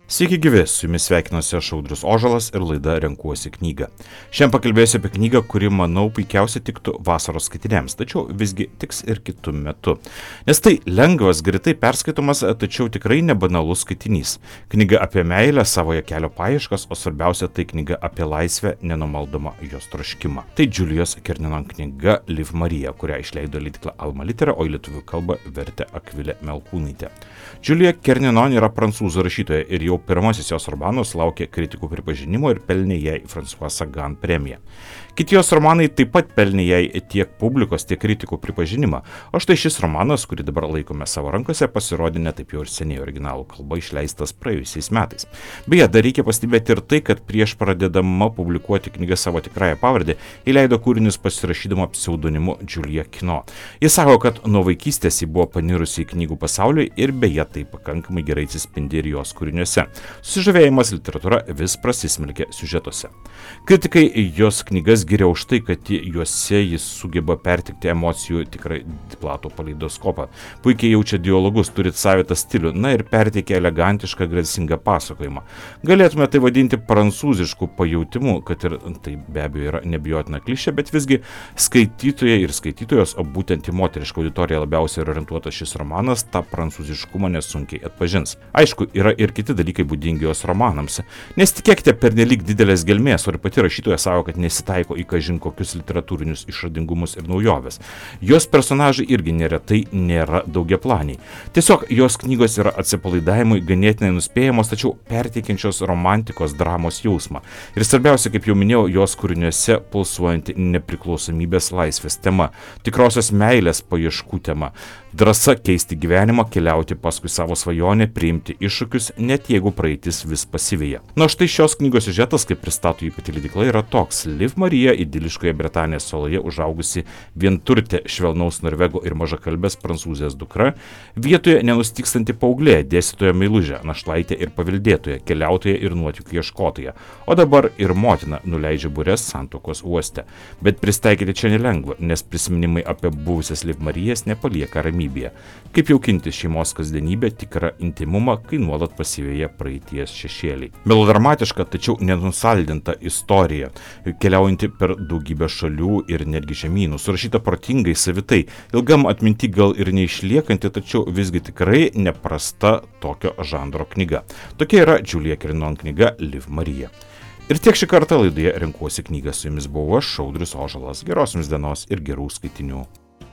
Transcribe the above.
Sveiki gyvi, su jumis sveikinuosi aš Audrius Ožalas ir laida Renkuosi knygą. Šiandien pakalbėsiu apie knygą, kuri, manau, puikiausiai tiktų vasaros skaitiniams, tačiau visgi tiks ir kitų metų. Nes tai lengvas, greitai perskaitomas, tačiau tikrai nebanalus skaitinys. Knyga apie meilę, savoje kelio paieškas, o svarbiausia tai knyga apie laisvę, nenumaldomą jos troškimą. Tai Julijos Kerninon knyga Liv Marija, kurią išleido leidykla Alma Litera, o į lietuvių kalbą vertė Akvilė Melkūnaitė. Julija Kerninon yra prancūzų rašytoja ir jau pirmasis jos romanas sulaukė kritikų pripažinimo ir pelnė jai François Sagan premiją. Kiti jos romanai taip pat pelnė jai tiek publikos, tiek kritikų pripažinimą, o štai šis romanas, kurį dabar laikome savo rankose, pasirodė ne taip jau ir seniai originalų kalba išleistas praėjusiais metais. Beje, dar reikia pastebėti ir tai, kad prieš pradėdama publikuoti knygą savo tikrąją pavardę, įleido kūrinius pasirašydama pseudonimu Julia Kino. Jis sako, kad nuo vaikystės ji buvo panirusi į knygų pasaulį ir beje tai pakankamai gerai atsispindi ir jos kūriniuose. Susižavėjimas literatūra vis prasismelkė siužetuose. Kritikai jos knygas giria už tai, kad juose jis sugeba pertikti emocijų tikrai platų paleidoskopą. Puikiai jaučia dialogus, turi savitą stilių, na ir perteikia elegantišką, gracingą pasakojimą. Galėtume tai vadinti prancūzišku pajautimu, kad ir tai be abejo yra nebijotina klišė, bet visgi skaitytojai ir skaitytojos, o būtent į moterišką auditoriją labiausiai orientuotas šis romanas, tą prancūziškumą nesunkiai atpažins. Aišku, yra ir kiti dalykai būdingi jos romanams. Nesitikėkite pernelyg didelės gelmės, o ir pati rašytoja savo, kad nesitaiko į kažin kokius literatūrinius išradingumus ir naujoves. Jos personažai irgi neretai nėra daugiaplaniai. Tiesiog jos knygos yra atsipalaidavimui ganėtinai nuspėjamos, tačiau perteikiančios romantikos dramos jausmą. Ir svarbiausia, kaip jau minėjau, jos kūriniuose pulsuojanti nepriklausomybės laisvės tema, tikrosios meilės paieškų tema, drąsa keisti gyvenimą, keliauti paskui savo svajonę, priimti iššūkius, net jeigu praeitis vis pasiveja. Na štai šios knygos siužetas, kaip pristato jį pati leidykla, yra toks. Liv Marija, idiliškoje Bretanės saloje užaugusi vienturtė švelnaus norvego ir mažakalbės prancūzės dukra, vietoje nenustykstanti paauglė, dėstytoja meilužė, našlaitė ir paveldėtoja, keliautoja ir nuotykių ieškotoja, o dabar ir motina nuleidžia bures santuokos uoste. Bet pristaikyti čia nelengva, nes prisiminimai apie buvusias Liv Marijas nepalieka ramybėje. Kaip jaukinti šeimos kasdienybę, tikrą intimumą, kai nuolat pasiveja praeities šešėliai. Melodramatiška, tačiau nenusaldinta istorija, keliaujanti per daugybę šalių ir netgi žemynų, surašyta protingai, savitai, ilgam atminti gal ir neišliekanti, tačiau visgi tikrai neprasta tokio žanro knyga. Tokia yra Julija Kerninon knyga Liv Marija. Ir tiek šį kartą laidoje Renkuosi knygą, su jumis buvau aš, Audrius Ožalas. Geros jums dienos ir gerų skaitinių.